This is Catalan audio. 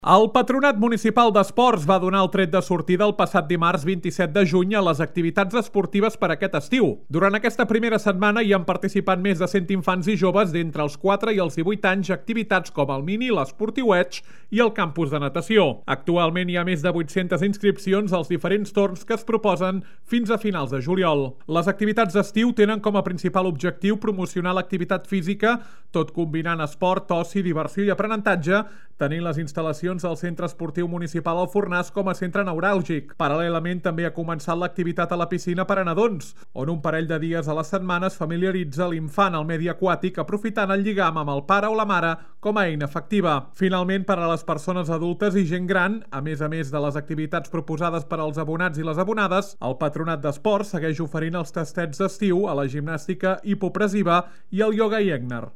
El Patronat Municipal d'Esports va donar el tret de sortida el passat dimarts 27 de juny a les activitats esportives per aquest estiu. Durant aquesta primera setmana hi han participat més de 100 infants i joves d'entre els 4 i els 18 anys a activitats com el mini, l'esportiueig i el campus de natació. Actualment hi ha més de 800 inscripcions als diferents torns que es proposen fins a finals de juliol. Les activitats d'estiu tenen com a principal objectiu promocionar l'activitat física, tot combinant esport, oci, diversió i aprenentatge, tenint les instal·lacions del Centre Esportiu Municipal al Fornàs com a centre neuràlgic. Paral·lelament també ha començat l'activitat a la piscina per a nadons, on un parell de dies a la setmana es familiaritza l'infant al medi aquàtic aprofitant el lligam amb el pare o la mare com a eina efectiva. Finalment, per a les persones adultes i gent gran, a més de les activitats proposades per als abonats i les abonades, el Patronat d'Esports segueix oferint els tastets d'estiu a la gimnàstica hipopressiva i el ioga i Egner.